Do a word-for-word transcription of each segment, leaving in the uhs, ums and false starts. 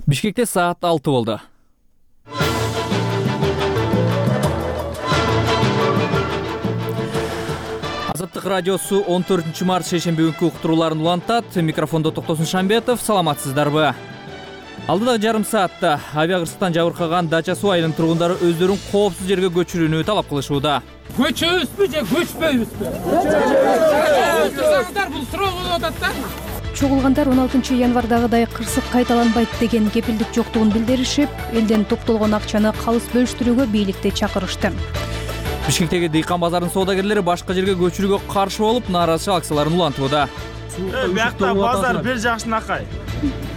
Бишкекте саат алты болду. Азаттык радиосу он төртүнчү март шейшемби күнкү уктурууларын улантат. Микрофондо Токтосун Шамбетов. Саламатсыздарбы? Алдыдагы жарым саатта авиа кырсыктан жабыркаган Дача суу айылынын тургундары өздөрүн коопсуз жерге көчүрүүнү талап кылышууда. Көчөбүзбү же көчпөйбүзбү? Көчөбүз. Бул суроо болуп атат да. Чогулгандар он алтынчы январдагыдай кырсык кайталанбайт деген кепилдик жоктугун билдиришип, элден топтолгон акчаны калыс бөлүштүрүүгө бийликти чакырышты. Бишкектеги дыйкан базарынын соодагерлери башка жерге көчүрүүгө каршы болуп, нааразычылык акцияларын улантууда. Биякта базар бир жакшынакай.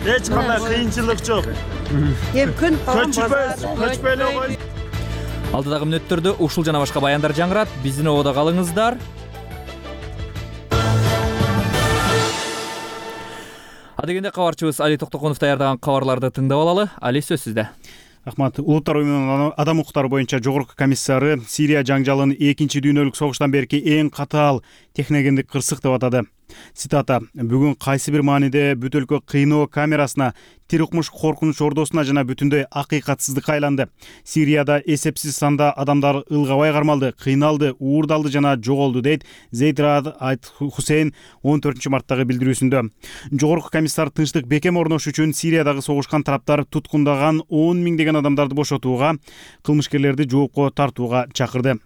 Эч кандай кыйынчылык жок. Эми күн көчпөйбүз, көчпөй эле кой. Алдыдагы мүнөттөрдө ушул жана башка баяндар жаңырат. Биздин ободо калыңыздар. Адегенде кабарчыбыз Али Токтоконов даярдаган кабарларды тыңдап алалы. Али, сөз сизде. Рахмат. Улуттар уюмунун адам укуктары боюнча жогорку комиссары Сирия жаңжалын экинчи дүйнөлүк согуштан берки эң катаал техногендик кырсык деп атады. Цитата: "Бүгүн кайсы бир мааниде бүт өлкө кыйноо камерасына, тир укмуш коркунуч ордосуна жана бүтүндөй акыйкатсыздыкка айланды. Сирияда эсепсиз санда адамдар ылгабай кармалды, кыйналды, уурдалды жана жоголду", дейт Зейд Раад Айт Хусейн он төртүнчү марттагы билдирүүсүндө. Жогорку комиссар тынчтык бекем орнош үчүн Сириядагы согушкан тараптар туткундаган он миңдеген адамдарды бошотууга, кылмышкерлерди жоопко тартууга чакырды.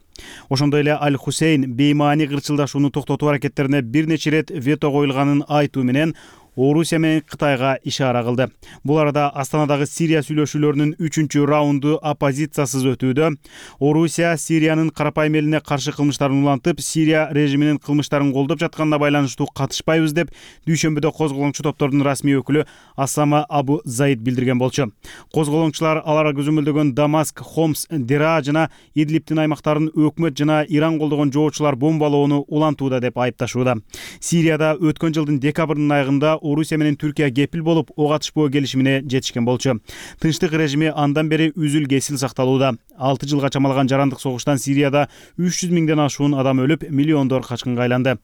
Ошондой эле Аль Хусейн беймаани кырчылдашууну токтотуу аракеттерине бир нече ирет вето коюлганын айтуу менен Орусия менен Кытайга ишара кылды. Бул арада Астанадагы Сирия сүйлөшүүлөрүнүн үчүнчү раунду оппозициясыз өтүүдө. Орусия Сириянын карапайым элине каршы кылмыштарын улантып, Сирия режиминин кылмыштарын колдоп жатканына байланыштуу катышпайбыз деп дүйшөмбүдө козголоңчу топтордун расмий өкүлү Асама Абу Заид билдирген болчу. Козголоңчулар алар көзөмөлдөгөн Дамаск, Хомс, Дера жана Идлибтин аймактарын өкмөт жана Иран колдогон жоочулар бомбалоону улантууда деп айыпташууда. Сирияда өткөн жылдын декабрынын айында Орусия менен Түркия кепил болуп, ок атышпоо келишимине жетишкен болчу. Тынчтык режими андан бери үзүл кесил сакталууда. алты жылга чамалаган жарандык согуштан Сирияда үч жүз миңден ашуун адам өлүп, миллиондор качкынга айланды.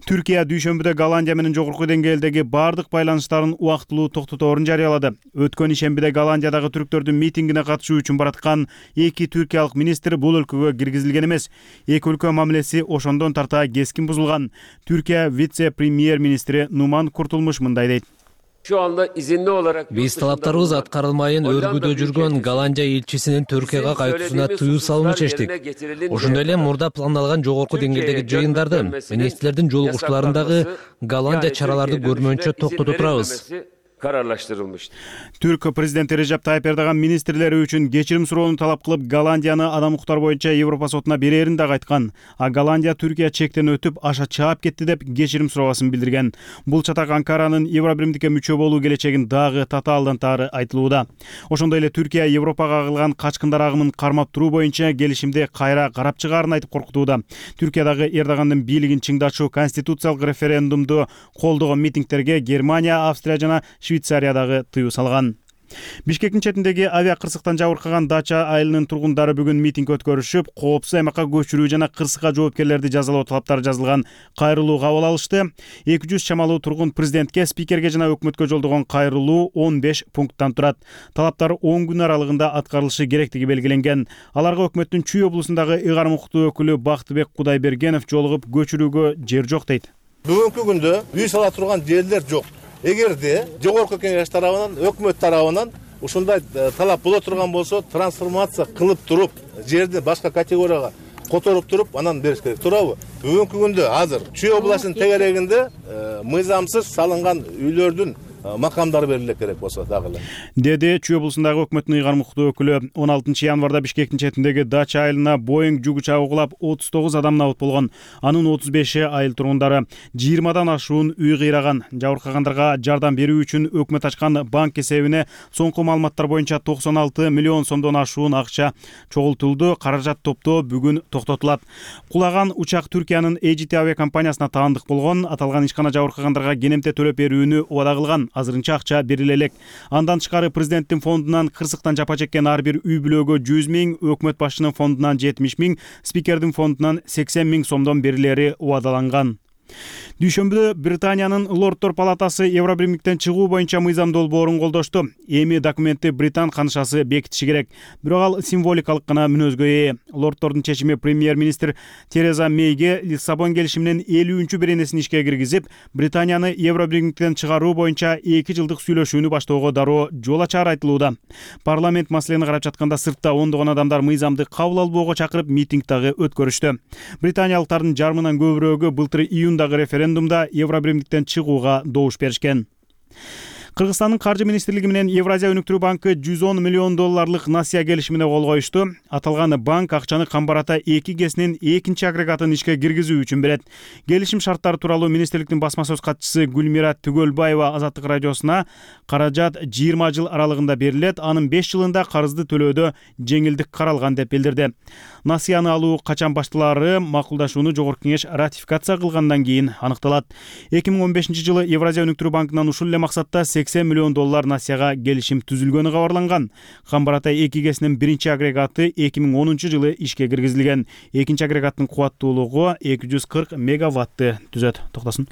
Түркия дүйшөмбүдө Голландия менен жогорку деңгээлдеги бардык байланыштарын убактылуу токтоторун жарыялады. Өткөн ишембиде Голландиядагы түрктөрдүн митингине катышуу үчүн бараткан эки түркиялык министр бул өлкөгө киргизилген эмес. Эки өлкө мамилеси ошондон тарта кескин бузулган. Түркия вице-премьер-министри Нуман Куртулмуш мындай дейт: Şu anda izinli olarak Биз талаптарыбыз аткарылмайын өргүдө жүргөн Голландия элчисинин Түркияга кайтуусуна тыюу салууну чечтик. Ошондой эле мурда пландалган жогорку деңгээлдеги жыйындардын, министрлердин жолугушууларындагы Голландия чараларды көрмөйүнчө токтото турабыз. kararlaştırılmıştı. Түрк президенти Режеп Тайып Эрдоган министрлери үчүн кечирим суроону талап кылып, Голландияны адам укуктар боюнча Европа сотуна берерин да айткан. А Голландия Түркия чектен өтүп, аша чаап кетти деп кечирим суроосун билдирген. Бул чатак Анкаранын Евробиримдикке мүчө болуу келечегин дагы татаалдан тары айтылууда. Ошондой эле Түркия Европага кылган качкындар агымын кармап туруу боюнча келишимди кайра карап чыгаарын айтып коркутууда. Түркиядагы Эрдогандын бийлигин чыңдатчу конституциялык референдумду колдогон митингтерге Германия, Австрия жана Швейцариядагы тыюу салган. Бишкектин четиндеги авиа кырсыктан жабыркаган Дача айылынын тургундары бүгүн митинг өткөрүшүп, коопсуз аймакка көчүрүү жана кырсыкка жоопкерлерди жазалоо талаптары жазылган кайрылуу кабыл алышты. эки жүз чамалуу тургун президентке, спикерге жана өкмөткө жолдогон кайрылуу он беш пункттан турат. Талаптар он күн аралыгында аткарылышы керектиги белгиленген. Аларга өкмөттүн Чүй облусундагы ыйгарым укуктуу өкүлү Бактыбек Кудайбергенов жолугуп, көчүрүүгө жер жок дейт. Бүгүнкү күндө үй сала турган жерлер жок. Эгерде жогорку кеңеш тарабынан, өкмөт тарабынан ушундай талап боло турган болсо, трансформация кылып туруп, жерди башка категорияга которуп туруп, анан бериш керек. Туурабы? Бүгүнкү күндө азыр Чүй областынын тегерегинде мыйзамсыз салынган үйлөрдүн макамдары бериле керек болсо дагы эле, деди Чүй облусундагы өкмөттүн ыйгарым укуктуу өкүлү. он алтынчы январда Бишкектин четиндеги Дача айылына Боeing жүк учагы кулап, отуз тогуз адам набыт болгон. Анын отуз беши айыл тургундары. жыйырмадан ашуун үй кыйраган. Жабыркагандарга жардам берүү үчүн өкмөт ачкан банк эсебине соңку маалыматтар боюнча токсон алты миллион сомдон ашуун акча чогултулду. Каражат топтоо бүгүн токтотулат. Кулаган учак Түркиянын A G T авиакомпаниясына таандык болгон. Аталган ишкана жабыркагандарга кенемте төлөп берүүнү убада кылган. Азырынча акча бериле элек. Андан тышкары президенттин фондунан кырсыктан жапа чеккен ар бир үй бүлөгө жүз миң, өкмөт башчынын фондунан жетимиш миң, спикердин фондунан сексен миң сомдон берилери убадаланган. Дүйшөмбүдө Британиянын Лорддор палатасы Евробиримдиктен чыгуу боюнча мыйзам долбоорун колдошту. Эми документти Британ канышасы бекитиши керек. Бирок ал символикалык гана мүнөзгө ээ. Лорддордун чечими премьер-министр Тереза Мейге Лиссабон келишиминин элүүнчү беренесин ишке киргизип, Британияны Евробиримдиктен чыгаруу боюнча эки жылдык сүйлөшүүнү баштоого дароо жол ачары айтылууда. Парламент маселени карап жатканда сыртта ондогон адамдар мыйзамды кабыл албоого чакырып митинг дагы өткөрүштү. Британиялыктардын жарымынан көбүрөөгү былтыр июндагы референдумда Евробиримдиктен чыгууга добуш беришкен. Кыргызстандын каржы министрлиги менен Евразия өнүктүрүү банкы жүз он миллион долларлык насыя келишимине кол коюшту. Аталган банк акчаны Камбарата эки гэсинин экинчи агрегатын ишке киргизүү үчүн берет. Келишим шарттары тууралуу министрликтин басма сөз катчысы Гүлмира Түгөлбаева Азаттык радиосуна каражат жыйырма жыл аралыгында берилет, анын беш жылында карызды төлөөдө жеңилдик каралган деп билдирди. Насыяны алуу качан башталаары макулдашууну жогорку кеңеш ратификация кылгандан кийин аныкталат. эки миң он бешинчи жылы Евразия өнүктүрүү банкынан ушул эле максатта сексен миллион доллар насыяга келишим түзүлгөнү кабарланган. Камбарата эки гэсинин биринчи агрегаты эки миң онунчу жылы ишке киргизилген. Экинчи агрегаттын кубаттуулугу эки жүз кырк мегаватты түзөт. Токтосун.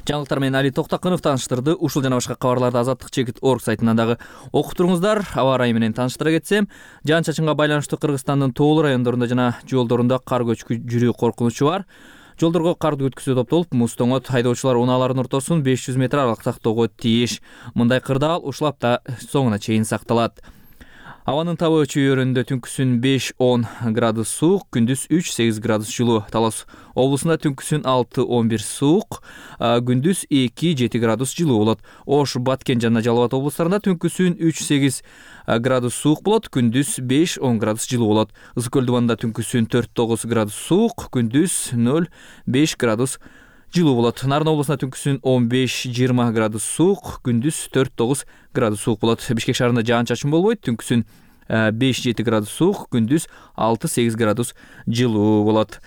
Жаңылыктар менен Али Токтакынов тааныштырды. Ушул жана башка кабарларды Азаттык чекит точка орг сайтынан дагы окуп туруңуздар. Аба ырайы менен тааныштыра кетсем, жаан чачынга байланыштуу Кыргызстандын тоолуу райондорунда жана жолдорунда кар көчкү жүрүү коркунучу бар. Жолдорго карды өткүзүү топтолуп, муз тоңот, хайдоочулар унаалардын ортосун беш жүз метр аралык сактоого тийиш. Мындай кырдаал ушул апта соңуна чейин сакталат. Абанын табы чөйрөндө түнкүсүн беш он градус суук, күндүз үч сегиз градус жылуу. Талас облусунда түнкүсүн алты он бир суук, күндүз эки жети градус жылуу болот. Ош, Баткен жана Жалал Абад облустарында түнкүсүн үч сегиз градус суук болот, күндүз беш он градус жылуу болот. Ысык көл дубанында түнкүсүн төрт тогуз градус суук, күндүз нөл беш градус жылуу болот. Нарын облусунда түнкүсүн он беш жыйырма градус суук, күндүз төрт тогуз градус суук болот. Бишкек шаарында жаан чачын болбойт, түнкүсүн беш жети градус суук, күндүз алты сегиз градус жылуу болот.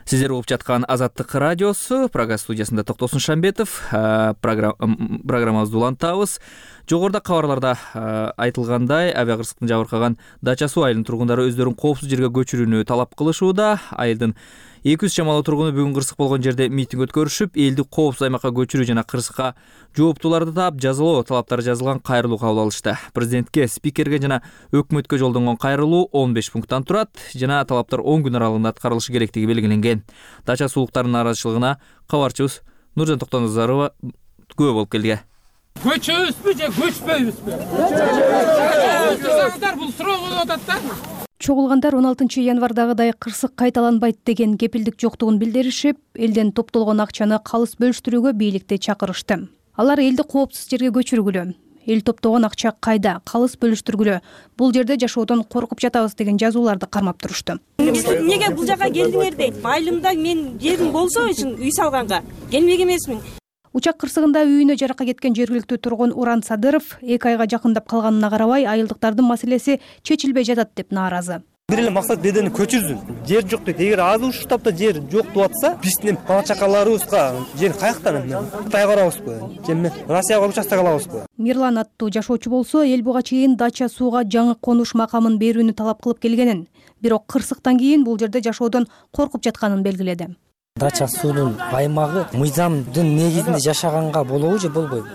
Сиздер угуп жаткан Азаттык радиосу, программа студиясында Токтосун Шамбетов, программабызды улантабыз. Жогоруда кабарларда айтылгандай, авиакырсыктын жабыркаган Дача суу айылынын тургундары өздөрүн коопсуз жерге көчүрүүнү талап кылышууда. Айылдын эки жүз чамалуу тургуну бүгүн кырсык болгон жерде митинг өткөрүшүп, элди коопсуз аймакка көчүрүү жана кырсыкка жооптууларды таап жазалоо талаптары жазылган кайрылуу кабыл алышты. Президентке, спикерге жана өкмөткө жолдонгон кайрылуу он беш пункттан турат жана талаптар он күн аралыгында аткарылышы керектиги белгиленген. Дача суулуктарынын нааразычылыгына кабарчыбыз Нуржан Токтоназарова күбө болуп келди. Көчөбүзбү же көчпөйбүзбү? Бул суроо болуп атат да. Чогулгандар он алтынчы январдагыдай кырсык кайталанбайт деген кепилдик жоктугун билдиришип, элден топтолгон акчаны калыс бөлүштүрүүгө бийликти чакырышты. Алар элди коопсуз жерге көчүргүлө, эл топтогон акча кайда, калыс бөлүштүргүлө, бул жерде жашоодон коркуп жатабыз деген жазууларды кармап турушту. Эмнеге бул жака келдиңер дейт. Айылымда мен жерим болсо үчүн үй салганга келмек эмесмин. Учак кырсыгында үйүнө жаракка кеткен жергиликтүү тургун Уран Садыров эки айга жакындап калганына карабай, айылдыктардын маселеси чечилбей жатат деп нааразы. Бир эле максат бедени көчүрсүн. Жер жок дейт. Эгер азыр ушул таапта жер жок деп атса, биздин бала чакаларыбызга жер каяктан эмне? Кытайга барабызбы? Же эмне? Россияга участок алабызбы? Мирлан аттуу жашоочу болсо, эл буга чейин Дача сууга жаңы конуш макамын берүүнү талап кылып келгенин, бирок кырсыктан кийин бул жерде жашоодон коркуп жатканын белгиледи. Дача суунун аймагы мыйзамдын негизинде жашаганга болобу же болбойбу?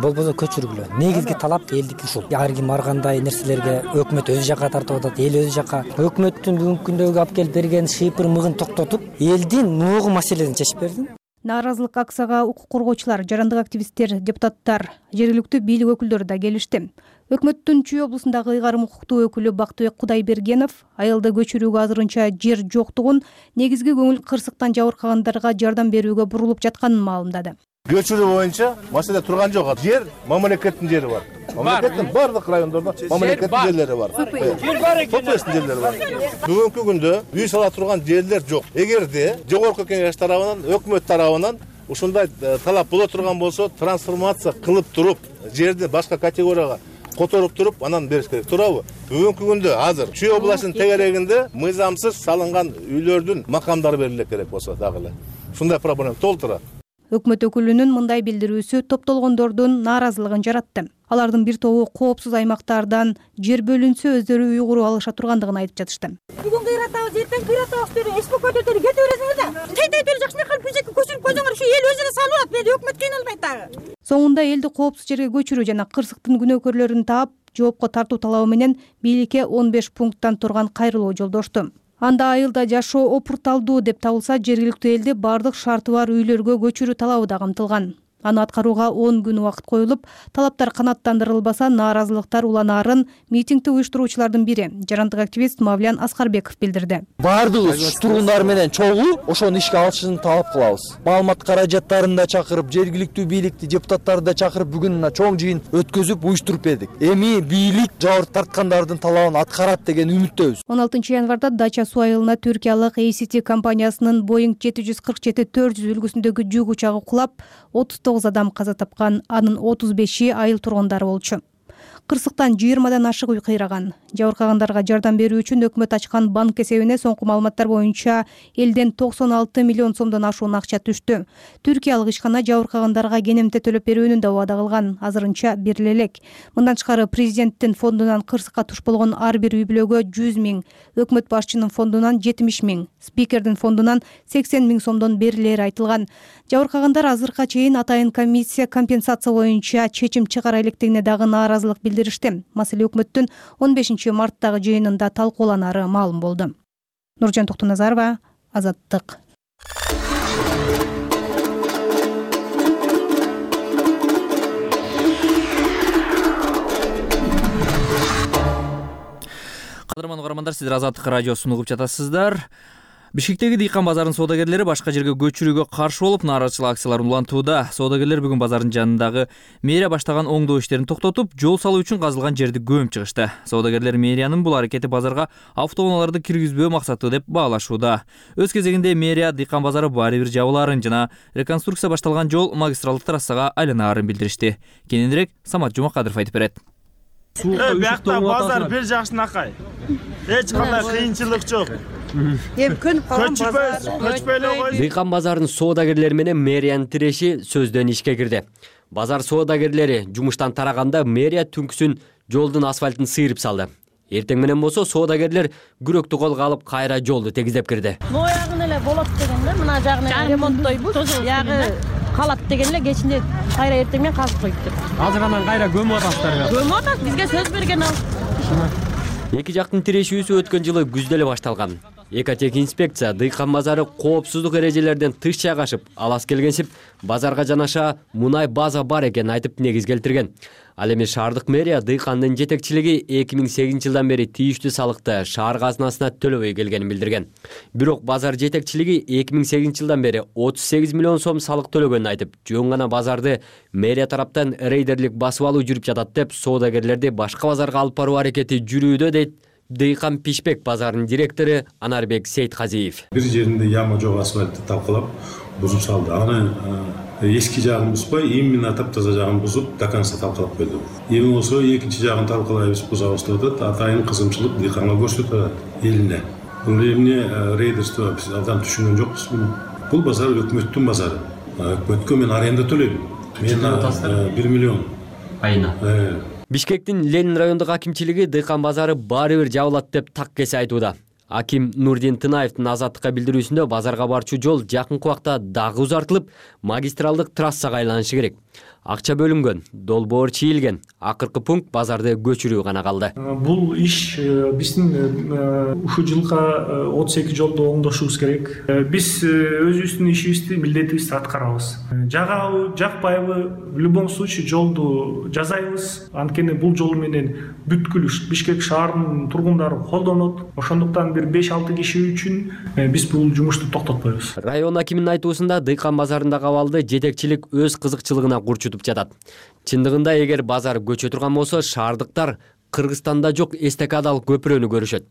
Болбосо көчүргүлө. Негизги талап элдики ушул. Ар ким ар кандай нерселерге өкмөт өз жака тартып атат, эл өз жака. Өкмөттүн бүгүнкү күндөгү алып келип берген шыйпыр мыгын токтотуп, элдин ногу маселесин чечип берди. Нааразылык акцияга укук коргоочулар, жарандык активисттер, депутаттар, жергиликтүү бийлик өкүлдөрү да келишти. Өкмөттүн Чүй облусундагы ыйгарым укуктуу өкүлү Бактыбек Кудайбергенов айылды көчүрүүгө азырынча жер жоктугун, негизги көңүл кырсыктан жабыркагандарга жардам берүүгө бурулуп жатканын маалымдады. Көчүрүү боюнча маселе турган жок. Жер мамлекеттин жери бар. Мамлекеттин бардык райондордо мамлекеттин жерлери бар. Собственность жерлери бар. Бүгүнкү күндө үй сала турган жерлер жок. Эгерде жогорку кеңеш тарабынан, өкмөт тарабынан ушундай талап боло турган болсо, трансформация кылып туруп, жерди башка категорияга которуп туруп, анан бериш керек. Туурабы? Бүгүнкү күндө азыр Чүй областынын тегерегинде мыйзамсыз салынган үйлөрдүн макамдары бериле керек болсо дагы эле. Ушундай проблема толтура. Өкмөт өкүлүнүн мындай билдирүүсү топтолгондордун нааразылыгын жаратты. Алардын бир тобу коопсуз аймактардан жер бөлүнсө өздөрү үй куруп алыша тургандыгын айтып жатышты. Бүгүн кыйратабыз, эртең кыйратабыз деп эсбо көтөрүп кете бересиңер да. Кетет эле жакшынакай кылып бизеки көчүрүп койсоңор, ушу эл өзүнө салып алат, мени өкмөт кыйналбайт дагы. Соңунда элди коопсуз жерге көчүрүү жана кырсыктын күнөөкөрлөрүн таап, жоопко тартуу талабы менен бийликке он беш пункттан турган кайрылуу жолдошту. Анда айылда жашоо опурталдуу деп табылса, жергиликтүү элди бардык шарты бар үйлөргө көчүрүү талабы да камтылган. Аны аткарууга он күн убакыт коюлуп, талаптар канааттандырылбаса, нааразылыктар уланаарын митингди уюштуруучулардын бири, жарандык активист Мавлян Аскарбеков билдирди. Бардыгыбыз тургундар менен чогуу ошону ишке алышын талап кылабыз. Маалымат каражаттарын да чакырып, жергиликтүү бийликти, депутаттарды да чакырып бүгүн мына чоң жыйын өткөзүп уюштуруп бердик. Эми бийлик жабыр тарткандардын талабын аткарат деген үмүттөбүз. он алтынчы январда Дача суу айылына түркиялык эй си ти компаниясынын Boeing жети жүз кырк жети төрт жүз үлгүсүндөгү жүк учагы кулап, отуз тогуз адам каза тапкан, анын отуз беши айыл тургундары болчу. Кырсыктан жыйырмадан ашык үй кыйраган. Жабыркагандарга жардам берүү үчүн өкмөт ачкан банк эсебине соңку маалыматтар боюнча элден токсон алты миллион сомдон ашуун акча түштү. Түркиялык ишкана жабыркагандарга кенемте төлөп берүүнү да убада кылган, азырынча бериле элек. Мындан тышкары президенттин фондунан кырсыкка туш болгон ар бир үй бүлөгө жүз миң, өкмөт башчынын фондунан жетимиш миң, спикердин фондунан сексен миң сомдон берилери айтылган. Жабыркагандар азыркыга чейин атайын комиссия компенсация боюнча чечим чыгара электигине дагы нааразылык билдиришти. Маселе өкмөттүн он бешинчи марттагы жыйынында талкууланары маалым болду. Нуржан Токтоназарова, Азаттык. Кадырман угармандар, сиздер Азаттык радиосун угуп жатасыздар. Бишкектеги дыйкан базарынын соодагерлери башка жерге көчүрүүгө каршы болуп, нааразычылык акцияларын улантууда. Соодагерлер бүгүн базардын жанындагы мэрия баштаган оңдоо иштерин токтотуп, жол салуу үчүн казылган жерди көмүп чыгышты. Соодагерлер мэриянын бул аракети базарга автоунааларды киргизбөө максаты деп баалашууда. Өз кезегинде мэрия дыйкан базары баары бир жабылаарын жана реконструкция башталган жол магистралдык трассага айланаарын билдиришти. Кененирээк Самат Жумакадыров айтып берет. Биякта базар бир жакшынакай. Эч кандай кыйынчылык жок. Эми көнүп калган базар. Көчпөйлөй койду. Дыйкан базарынын соодагерлери менен мэриянын тиреши сөздөн ишке кирди. Базар соодагерлери жумуштан тараганда мэрия түнкүсүн жолдун асфальтын сыйрып салды. Эртең менен болсо соодагерлер күрөктү колго алып кайра жолду тегизеп кирди. Моягын эле болот дегенде, мына жагын ремонттойбуз. Ягы калат дегенде кечинде кайра эртең менен казып коюптур. Азыр анан кайра көмүп атасыздар. Көмүп атат, бизге сөз берген ал. Эки жактын тирешүүсү өткөн жылы күздө эле башталган. Экотех инспекция дыйкан базары коопсуздук эрежелерден тыш жайгашып, алас келгенсип, базарга жанаша мунай база бар экенин айтып негиз келтирген. Ал эми шаардык мэрия дыйкандын жетекчилиги эки миң сегизинчи жылдан бери тийиштүү салыкты шаар казынасына төлөбөй келгенин билдирген. Бирок базар жетекчилиги эки миң сегизинчи жылдан бери отуз сегиз миллион сом салык төлөгөнүн айтып, жөн гана базарды мэрия тараптан рейдерлик басып алуу жүрүп жатат деп, соодагерлерди башка базарга алып баруу аракети жүрүүдө дейт Дыйкан Пишбек базарынын директору Анарбек Сейтказиев. Бир жеринде яма жок асфальтты талкалап бузуп салды. Аны эски жагын бузбай, именно таптаза жагын бузуп, до конца талкалап койду. Эми болсо экинчи жагын талкалайбыз, бузабыз деп атат. Атайын кызымчылык дыйканга көрсөтүп атат элине. Бул эмне рейдерство биз абдан түшүнгөн жокпуз. Бул базар өкмөттүн базары. Өкмөткө мен аренда төлөйм. Мен бир миллион айына. Бишкектин Ленин райондук акимчилиги дыйкан базары баары бир жабылат деп так кесе айтууда. Аким Нурдин Тынаевдин Азаттыкка билдирүүсүндө базарга барчу жол жакынкы убакта дагы узартылып, магистралдык трассага айланышы керек. Акча бөлүнгөн, долбоор чийилген. Акыркы пункт базарды көчүрүү гана калды. Бул иш биздин ушул жылга отуз эки жолду оңдошубуз керек. Биз өзүбүздүн ишибизди, милдетибизди аткарабыз. Жагабы, жакпайбы, в любом случае жолду жасайбыз. Анткени бул жол менен бүткүл Бишкек шаарынын тургундары колдонот. Ошондуктан бир беш алты киши үчүн биз бул жумушту токтотпойбуз. Район акиминин айтуусунда дыйкан базарындагы абалды жетекчилик өз кызыкчылыгына курчутуп жатат. Чындыгында эгер базар көчө турган болсо, шаардыктар Кыргызстанда жок эстакадалык көпүрөнү көрүшөт.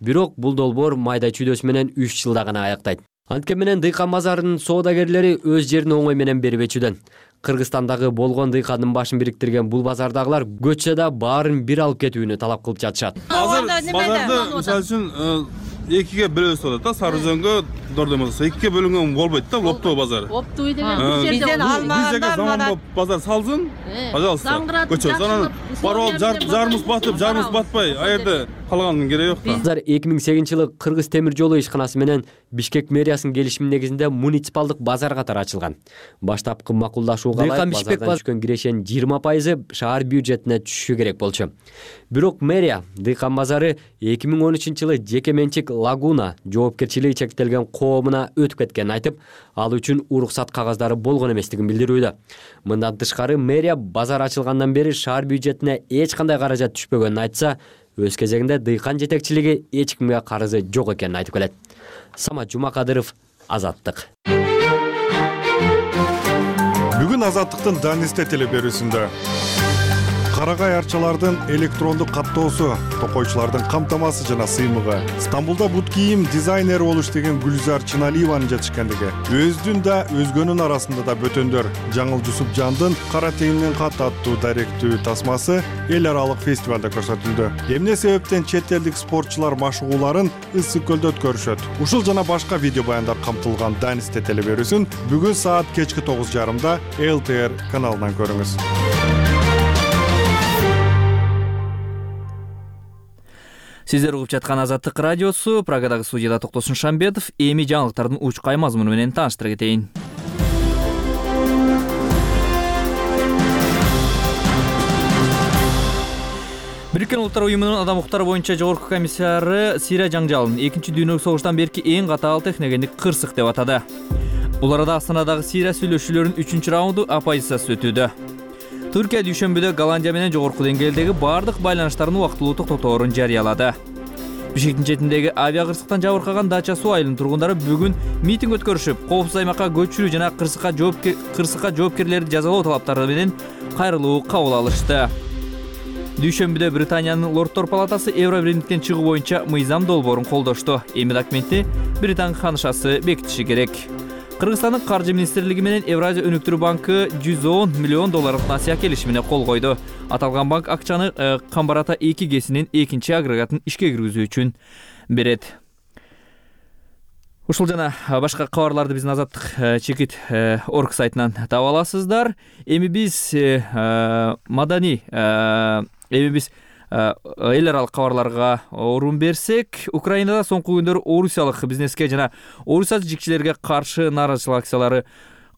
Бирок бул долбоор майда чүйдөсү менен үч жылда гана аяктайт. Анткени менен дыйкан базарынын соодагерлери өз жерин оңой менен бербечүдөн. Кыргызстандагы болгон дыйкандын башын бириктирген бул базардагылар көчсө да баарын бир алып кетүүнү талап кылып жатышат. Азыр базарды мисалы үчүн экиге бөлөбүз деп атат да, Сары Өзөнгө болсо экиге бөлүнгөн болбойт да, оптовый базар. Оптовый деген бизден алмагандар заманбап базар салсын, пожалуйста. Көчөбүз. Анан барып жарымыз батып, жарымыз батпай, а жерде калганын кереги жок да. Базар эки миң сегизинчи жылы Кыргыз темир жолу ишканасы менен Бишкек мэриясынын келишими негизинде муниципалдык базар катары ачылган. Баштапкы макулдашууга ылайык базардан түшкөн кирешенин жыйырма пайызы шаар бюджетине түшүшү керек болчу. Бирок мэрия Дыйкан базары эки миң он үчүнчү жылы жеке менчик Лагуна жоопкерчилиги чектелген коомуна өтүп кеткенин айтып, ал үчүн уруксат кагаздары болгон эместигин билдирүүдө. Мындан тышкары мэрия базар ачылгандан бери шаар бюджетине эч кандай каражат түшпөгөнүн айтса, өз кезегинде Дыйкан жетекчилиги эч кимге карызы жок экенин айтып келет. Самат Жумакадыров, Азаттык. Бүгүн Азаттыктын Данисте телеберүүсүндө карагай арчалардын электрондук каттоосу, токойчулардын камтамасы жана сыймыгы, Стамбулда бут кийим дизайнери болуш деген Гүлзар Чыналиеванын жетишкендиги, өздүн да өзгөнүн арасында да бөтөндөр Жаңыл Жусупжандын Кара теңирден кат аттуу даректүү тасмасы эл аралык фестивалда көрсөтүлдү. Эмне себептен чет элдик спортчулар машыгууларын ысык көлдө өткөрүшөт? Ушул жана башка видео баяндар камтылган Данисте телеберүүсүн бүгүн саат кечки тогуз жарымда эл тэ эр каналынан көрүңүз. Сиздер угуп жаткан Азаттык радиосу, Прагадагы студияда Токтосун Шамбетов, эми жаңылыктардын учкай мазмуну менен тааныштыра кетейин. Бириккен Улуттар уюмунун адам укуктары боюнча жогорку комиссары Сирия жаңжалын экинчи дүйнөлүк согуштан берки эң катаал техногендик кырсык деп атады. Бул арада Астанадагы Сирия сүйлөшүүлөрүнүн үчүнчү раунду оппозициясы өтүүдө. Түркия дүйшөмбүдө Голландия менен жогорку деңгээлдеги бардык байланыштарын убактылуу токтоторун жарыялады. Бишкектин четиндеги авиа кырсыктан жабыркаган Дача суу айылынын тургундары бүгүн митинг өткөрүшүп, коопсуз аймакка көчүрүү жана кырсыкка жоопкер кырсыкка жоопкерлерди жазалоо талаптары менен кайрылуу кабыл алышты. Дүйшөмбүдө Британиянын Лордтор палатасы Евробиримдиктен чыгуу боюнча мыйзам долбоорун колдошту. Эми документти Британ ханышасы бекитиши керек. Кыргызстандын каржы министрлиги менен Евразия өнүктүрүү банкы жүз он миллион долларлык насыя келишимине кол койду. Аталган банк акчаны Камбарата эки гэсинин экинчи агрегатын ишке киргизүү үчүн берет. Ушул жана башка кабарларды биздин Азаттык чекит орг сайтынан таба аласыздар. Эми биз маданий эми биз эл аралык кабарларга орун берсек, Украинада соңку күндөрү орусиялык бизнеске жана орусия жигчилерге каршы нааразычылык акциялары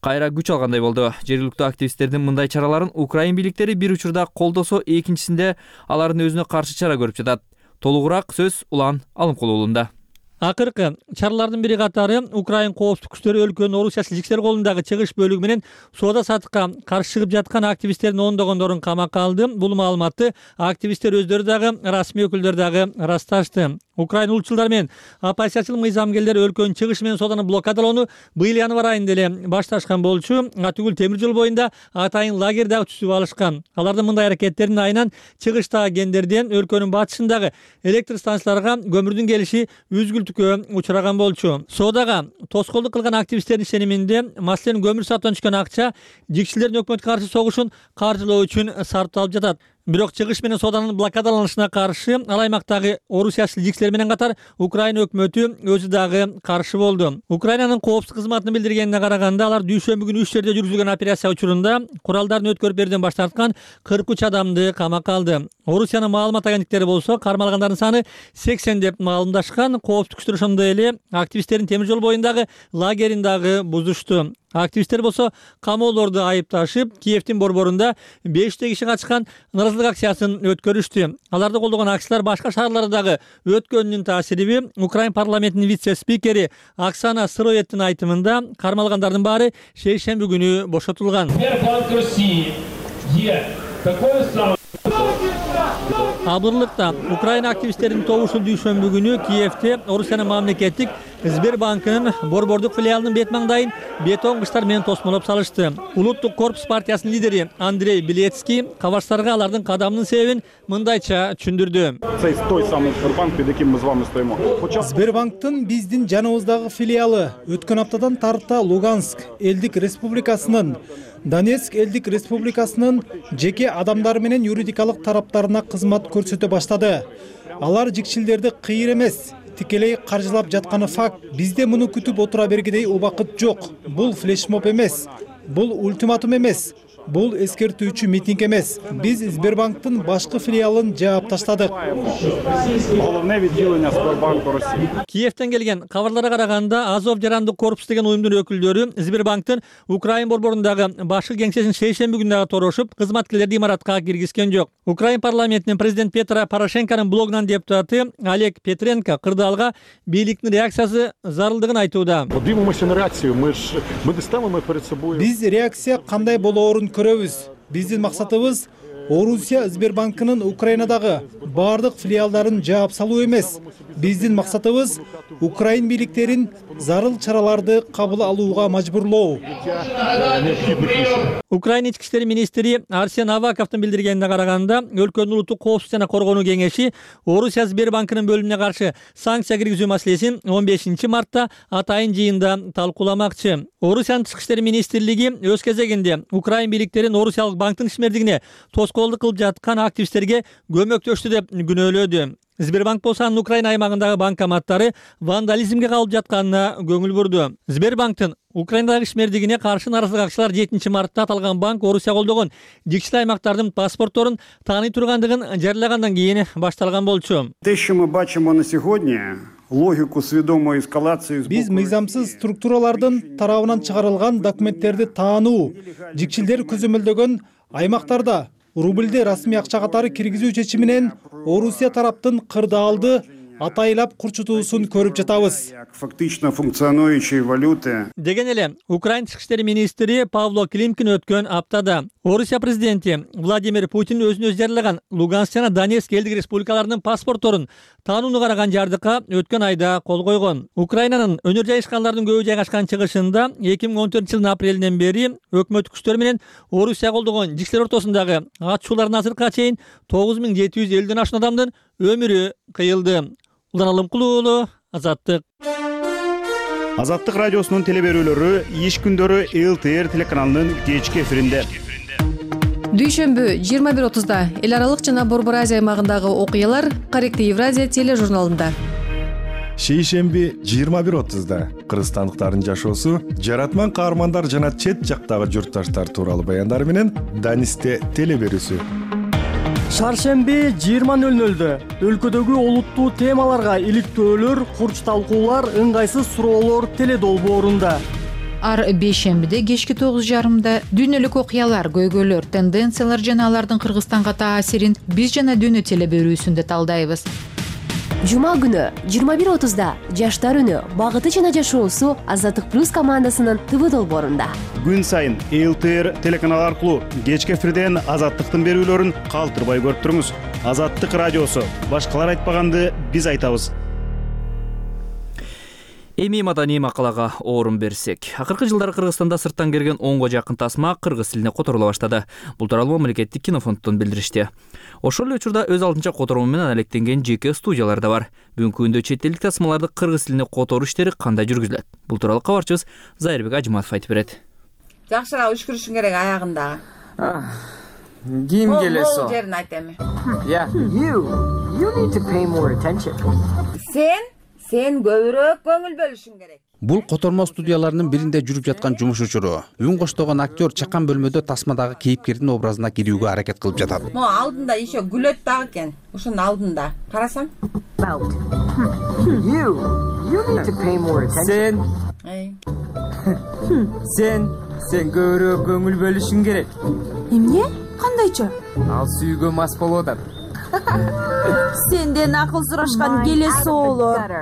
кайра күч алгандай болду. Жергиликтүү активисттердин мындай чараларын Украин бийликтери бир учурда колдосо, экинчисинде алардын өзүнө каршы чара көрүп жатат. Толугураак сөз Улан Алымкулуулунда. Акыркы чаралардын бири катары Украин коопсуздук күчтөрү өлкөнүн орусия жигчилер колундагы чыгыш бөлүгү менен соода сатыкка каршы чыгып жаткан активисттердин ондогондорун камакка алды. Бул маалыматты активисттер өздөрү дагы, расмий өкүлдөр дагы ырасташты. Украин улутчулдар менен оппозициячыл мыйзамгерлер өлкөнүн чыгышы менен сооданы блокадалоону быйыл январь айында эле башташкан болчу. Атүгүл темир жол боюнда атайын лагерь дагы түзүп алышкан. Алардын мындай аракеттеринин айынан чыгыштагы кендерден өлкөнүн батышындагы электр станцияларга көмүрдүн келиши үзгүлтүккө учураган болчу. Соодага тоскоолдук кылган активисттердин ишениминде, маселен көмүр сатуудан түшкөн акча жигчилердин өкмөткө каршы согушун каржылоо үчүн сарпталып жатат. Бирок чыгыш менен сооданын блокадаланышына каршы ал аймактагы орусиячыл жигчилер менен катар Украина өкмөтү өзү дагы каршы болду. Украинанын коопсуздук кызматынын билдиргенине караганда, алар дүйшөмбү күнү үч жерде жүргүзүлгөн операция учурунда куралдарын өткөрүп берүүдөн баш тарткан кырк үч адамды камакка алды. Орусиянын маалымат агенттиктери болсо кармалгандардын саны сексен деп маалымдашкан. Коопсуздук күчтөр ошондой эле активисттердин темир жол боюндагы лагерин дагы бузушту. Активисттер болсо камоолорду айыпташып, Киевдин борборунда беште киши катышкан нааразычылык акциясын өткөрүштү. Аларды колдогон акциялар башка шаарлардагы өткөнүнүн таасириби. Украин парламентинин вице-спикери Оксана Сыроевдин айтымында кармалгандардын баары шейшемби күнү бошотулган. Абырлыкта Украина активисттеринин тобу ушул дүйшөмбү күнү Киевде Орусиянын мамлекеттик Сбербанкынын борбордук филиалынын бет маңдайын бетон кыштар менен тосмолоп салышты. Улуттук корпус партиясынын лидери Андрей Белецкий кабарчыларга алардын кадамынын себебин мындайча түшүндүрдү. Сбербанктын биздин жаныбыздагы филиалы өткөн аптадан тарта Луганск элдик республикасынын, Донецк элдик республикасынын жеке адамдары менен юридикалык тараптарына кызмат көрсөтө баштады. Алар жигчилдерди кыйыр эмес, тикелей каржылап жатканы факт. Бизде муну күтүп отура бергидей убакыт жок. Бул флешмоб эмес, бул ультиматум эмес, бул эскертүүчү митинг эмес. Биз Сбербанктын башкы филиалын жаап таштадык. Киевден келген кабарларга караганда Азов жарандык корпус деген уюмдун өкүлдөрү Сбербанктын Украин борборундагы башкы кеңсесин шейшемби күнү дагы торошуп, кызматкерлерди имаратка киргизген жок. Украин парламентинин президент Петро Порошенконун блогунан депутаты Олег Петренко кырдаалга бийликтин реакциясы зарылдыгын айтууда. Биз реакция кандай болоорун көрөбүз. Биздин максатыбыз Орусия Сбербанкынын Украинадагы бардык филиалдарын жаап салуу эмес. Биздин максатыбыз Украин бийликтерин зарыл чараларды кабыл алууга мажбурлоо. Украин ички иштер министри Арсен Аваковдун билдиргенине караганда, өлкөнүн улуттук коопсуздук жана коргонуу кеңеши Орусия Сбербанкынын бөлүмүнө каршы санкция киргизүү маселесин он бешинчи мартта атайын жыйында талкууламакчы. Орусиянын тышкы иштер министрлиги өз кезегинде Украин бийликтерин Орусиялык банктын ишмердигине тоскоолдук кылып жаткан активисттерге көмөктөштү деп күнөөлөдү. Сбербанк болсо анын Украина аймагындагы банкоматтары вандализмге калып жатканына көңүл бурду. Сбербанктын Украинадагы ишмердигине каршы нааразылык акчалар жетинчи мартта аталган банк Орусия колдогон жикчил аймактардын паспортторун тааный тургандыгын жарыялагандан кийин башталган болчу. Те, що ми бачимо на сьогодні, логику свідомої ескалації з Биз мыйзамсыз структуралардын тарабынан чыгарылган документтерди таануу, жикчилдер көзөмөлдөгөн аймактарда рубльди расмий акча катары киргизүү чечиминен Орусия тараптын кырдаалды атайлап курчутуусун көрүп жатабыз. Фактично функционующие валюты. Деген эле Украин тышкы иштер министри Павло Климкин өткөн аптада Орусия президенти Владимир Путин өзүнө өзү жарыялаган Луганск жана Донецк элдик республикаларынын паспортторун таанууну караган жардыкка өткөн айда кол койгон. Украинанын өнөр жайышкандардын көбү жайгашкан чыгышында эки миң он төртүнчү жылдын апрелинен бери өкмөт күчтөрү менен Орусия колдогон жикчилер ортосундагы атышуулардын азыркыга чейин тогуз миң жети жүз элүүдөн ашуун адамдын өмүрү кыйылды. Улан Алымкулуулу, Азаттык. Азаттык радиосунун телеберүүлөрү иш күндөрү эл тэ эр телеканалынын кечки эфиринде. Дүйшөмбү жыйырма бир отузда эл аралык жана Борбор Азия аймагындагы окуялар Корректив Евразия тележурналында. Шейшемби жыйырма бир отузда кыргызстандыктардын жашоосу, жаратман каармандар жана чет жактагы журтташтар тууралуу баяндар менен Данисте телеберүүсү. Шаршемби жыйырма нөл нөлдө өлкөдөгү олуттуу темаларга иликтөөлөр, курч талкуулар, ыңгайсыз суроолор теледолбоорунда. Ар бейшембиде кечки тогуз жарымда дүйнөлүк окуялар, көйгөйлөр, тенденциялар жана алардын Кыргызстанга таасирин биз жана дүйнө телеберүүсүндө талдайбыз. Жума күнү жыйырма бир отузда жаштар үнү, багыты жана жашоосу Азаттык плюс командасынын тэ вэ долбоорунда. Күн сайын эл тэ эр телеканалы аркылуу кечки эфирден Азаттыктын берүүлөрүн калтырбай көрүп туруңуз. Азаттык радиосу, башкалар айтпаганды биз айтабыз. Эми маданий макалага орун берсек. Акыркы жылдары Кыргызстанда сырттан келген онго жакын тасма кыргыз тилине которула баштады. Бул тууралуу мамлекеттик кинофонддон билдиришти. Ошол эле учурда өз алдынча которуу менен алектенген жеке студиялар да бар. Бүгүнкү күндө чет элдик тасмаларды кыргыз тилине которуу иштери кандай жүргүзүлөт? Бул тууралуу кабарчыбыз Зайырбек Ажыматов айтып берет. Жакшыраак үшкүрүшүң керек аягында. Ким келесо? Могул жерин айт эми. Yeah. You. You need to pay more attention. Сен Сен көбүрөөк көңүл бөлүшүң керек. Бул котормо студияларынын биринде жүрүп жаткан жумуш учуру. Үн коштогон актер чакан бөлмөдө тасмадагы кейипкердин образына кирүүгө аракет кылып жатат. Мо алдында еще күлөт дагы экен. Ошонун алдында. Карасаң? You. You need to pay more attention. Сен. Сен. Сен көбүрөөк көңүл бөлүшүң керек. Эмне? Кандайча? Ал сүйгө мас болуп атат. Сенден акыл сурашкан келес оолор.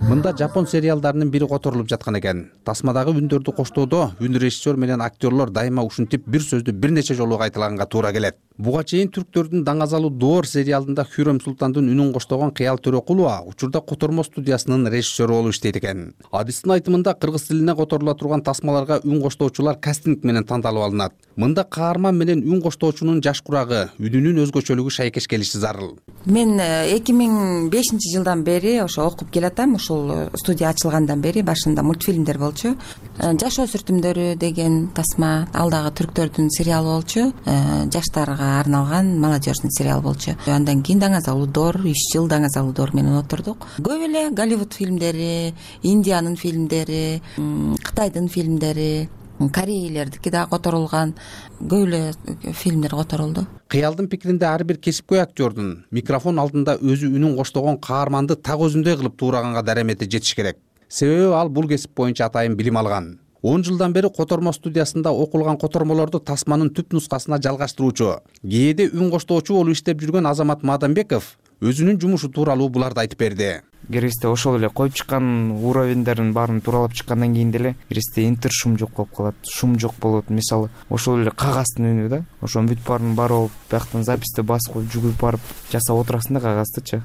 Мында жапон сериалдарынын бири которулуп жаткан экен. Тасмадагы үндөрдү коштоодо үн режиссер менен актерлор дайыма ушинтип бир сөздү бир нече жолу кайталаганга туура келет. Буга чейин түрктөрдүн даңазалуу Доор сериалында Хүрөм Султандын үнүн коштогон Кыял Төрөкулова учурда котормо студиясынын режиссеру болуп иштейт экен. Адистин айтымында кыргыз тилине которула турган тасмаларга үн коштоочулар кастинг менен тандалып алынат. Мында каарман менен үн коштоочунун жаш курагы, үнүнүн өзгөчөлүгү шайкеш келиши зарыл. Мен эки миң бешинчи жылдан бери ошо окуп келатам, ушул бул студия ачылгандан бери башында мультфильмдер болчу. Жаш өсүртүмдөрү деген тасма, ал дагы түрктөрдүн сериалы болчу. Жаштарга арналган молодежный сериал болчу. Андан кийин Даңаза улуудор, үч жыл Даңаза улуудор менен отурдук. Көп эле Голливуд фильмдери, Индиянын фильмдери, Кытайдын фильмдери, корейлердики дагы которулган, көп эле фильмдер которулду. Кыялдын пикиринде ар бир кесипкөй актёрдун микрофон алдында өзү үнүн коштогон каарманды так өзүндөй кылып туураганга даремети жетиш керек. Себеби ал бул кесип боюнча атайын билим алган. он жылдан бери котормо студиясында окулган котормолорду тасманын түп нускасына жалгаштыруучу, кээде үн коштоочу болуп иштеп жүргөн Азамат Мадамбеков өзүнүн жумушу тууралуу буларды айтып берди. Киргизде ошол эле коюп чыккан уровендердин баарын тууралап чыккандан кийин деле киргизде интер шум жок болуп калат, шум жок болот. Мисалы, ошол эле кагаздын үнү да, ошонун бүт баарын барып алып, бияктан записти басып коюп жүгүрүп барып жасап отурасың да кагаздычы.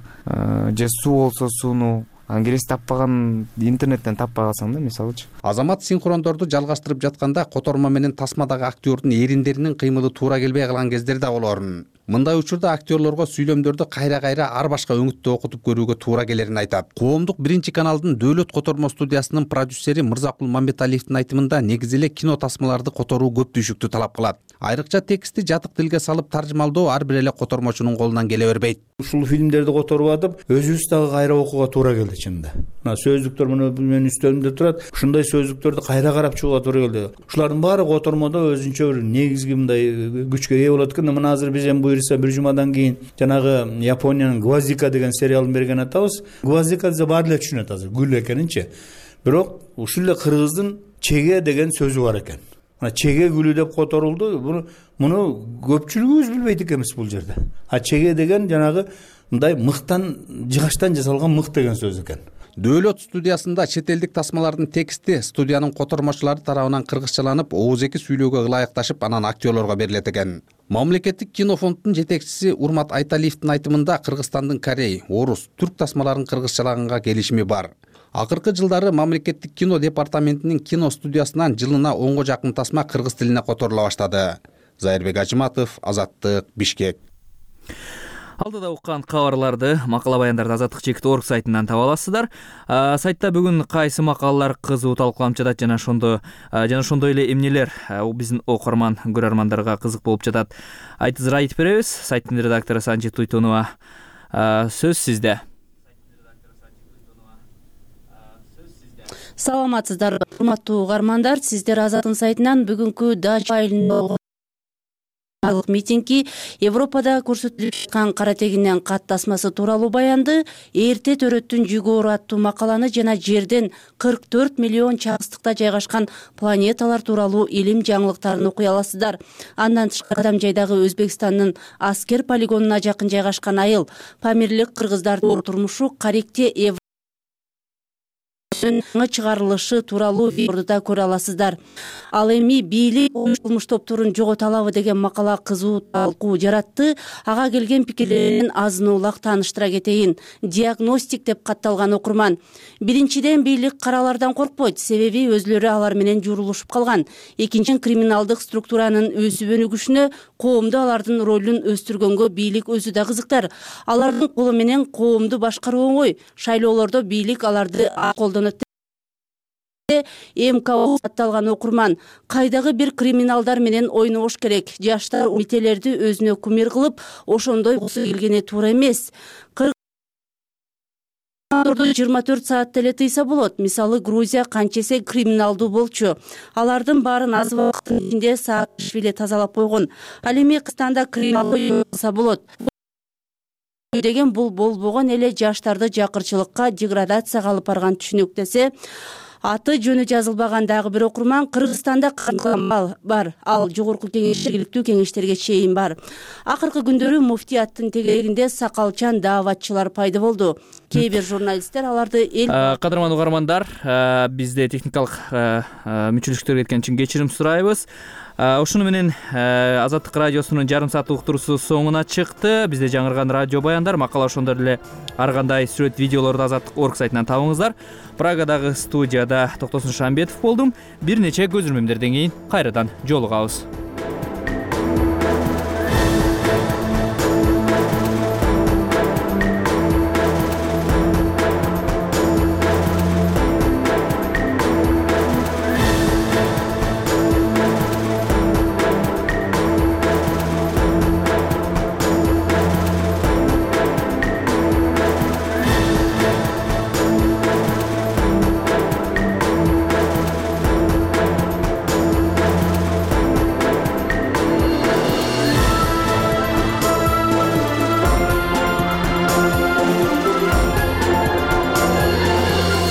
Же суу болсо сууну ангирес таппаган, интернеттен таппай калсаң да, мисалычы. Азамат синхрондорду жалгаштырып жатканда котормо менен тасмадагы актёрдун эриндеринин кыймылы туура келбей калган кездер да болорун. Мындай учурда актёрлорго сүйлөмдөрдү кайра-кайра ар башка өңүттө окутуп көрүүгө туура келерин айтат. Коомдук биринчи каналдын Дөөлөт котормо студиясынын продюсери Мырзакул Мамбеталиевдин айтымында негизи эле кино тасмаларды которуу көп түйшүктү талап кылат. Айрыкча тексти жатык тилге салып таржымалдоо ар бир эле котормочунун колунан келе бербейт. Ушул фильмдерди которуп атып, өзүбүз дагы кайра окууга туура келди чынында. Мына сөздүктөр мына менин үстөлүмдө турат. Ушундай сөздүктөрдү кайра карап чыгууга туура келди. Ушулардын баары котормодо өзүнчө бир негизги мындай күчкө ээ болот экен. Мына азыр биз эми буюрса бир жумадан кийин жанагы Япониянын Гвоздика деген сериалын берген атабыз. Гвоздика десе баары эле түшүнөт азыр, гүл экенинчи. Бирок ушул эле кыргыздын чеге деген сөзү бар экен. Мына чеге гүлү деп которулду. Буну муну көпчүлүгүбүз билбейт экенбиз бул жерде. А чеге деген жанагы мындай мыктан, жыгачтан жасалган мык деген сөз экен. Дөөлөт студиясында чет элдик тасмалардын тексти студиянын котормочулары тарабынан кыргызчаланып, оозеки сүйлөөгө ылайыкташып, анан актёрлорго берилет экен. Мамлекеттик кинофонддун жетекчиси Урмат Айталиевдин айтымында Кыргызстандын корей, орус, түрк тасмаларын кыргызчалаганга келишими бар. Акыркы жылдары мамлекеттик кино департаментинин кино студиясынан жылына онго жакын тасма кыргыз тилине которула баштады. Зайырбек Ажыматов, Азаттык, Бишкек. Алдыда уккан кабарларды, макала баяндарды азаттык чекит точка орг сайтынан таба аласыздар. Сайтта бүгүн кайсы макалалар кызуу талкууланып жатат жана ошондо жана ошондой эле эмнелер биздин окурман, көрөрмандарга кызык болуп жатат. Айтызыр айтып беребиз. Сайттын редактору Санжит Туйтунова. Сөз сизде. Саламатсыздарбы, урматтуу угармандар. Сиздер Азаттын сайтынан бүгүнкү Дача айылында митинги Европада көрсөтүлүп жаткан кара тегинден кат тасмасы тууралуу баянды, эрте төрөттүн жүгү оор аттуу макаланы жана жерден кырк төрт миллион чагыстыкта жайгашкан планеталар тууралуу илим жаңылыктарын окуй аласыздар. Андан тышкары Адам жайдагы Өзбекстандын аскер полигонуна жакын жайгашкан айыл, Памирлик кыргыздардын турмушу Каректе чыгарылышы тууралуу видеоду да көрө аласыздар. Ал эми бийлик кылмыш топторун жогото алабы деген макала кызуу талкуу жаратты. Ага келген пикирлерин азын улак тааныштыра кетейин. Диагностик деп катталган окурман. Биринчиден, бийлик каралардан коркпойт, себеби өзлөрү алар менен журулушуп калган. Экинчиден, криминалдык структуранын өсүп өнүгүшүнө, коомдо алардын ролун өстүргөнгө бийлик өзү да кызыктар. Алардын колу менен коомду башкаруу оңой. Шайлоолордо бийлик аларды колдонот. МКО атталган окурман. Кайдагы бир криминалдар менен ойнобош керек. Жаштар умителерди өзүнө кумир кылып, ошондой болсо келгени туура эмес. жыйырма төрт саатта эле тыйса болот. Мисалы, Грузия канчесе криминалдуу болчу. Алардын баарын аз убакыттын ичинде Саакашвили тазалап койгон. Ал эми Кыргызстанда криминалдуу кылса болот деген бул болбогон эле жаштарды жакырчылыкка, деградацияга алып барган түшүнүк десе, аты жөнү жазылбаган дагы бир окурман Кыргызстанда кыргыз бар. Ал жогорку кеңеш, жергиликтүү кеңештерге чейин бар. Акыркы күндөрү муфтияттын тегерегинде сакалчан дааватчылар пайда болду. Кээ бир журналисттер аларды эл Кадырман угармандар, бизде техникалык мүчүлүктөр кеткен үчүн кечирим сурайбыз. Ушуну менен Азаттык радиосунун жарым сааттык уктуруусу соңуна чыкты. Бизде жаңырган радио баяндар, макала ошондой эле ар кандай сүрөт видеолорду Азаттык точка орг сайтынан табыңыздар. Прагадагы студияда Токтосун Шамбетов болдум. Бир нече көзүрмөмдөрдөн кийин кайрадан жолугабыз.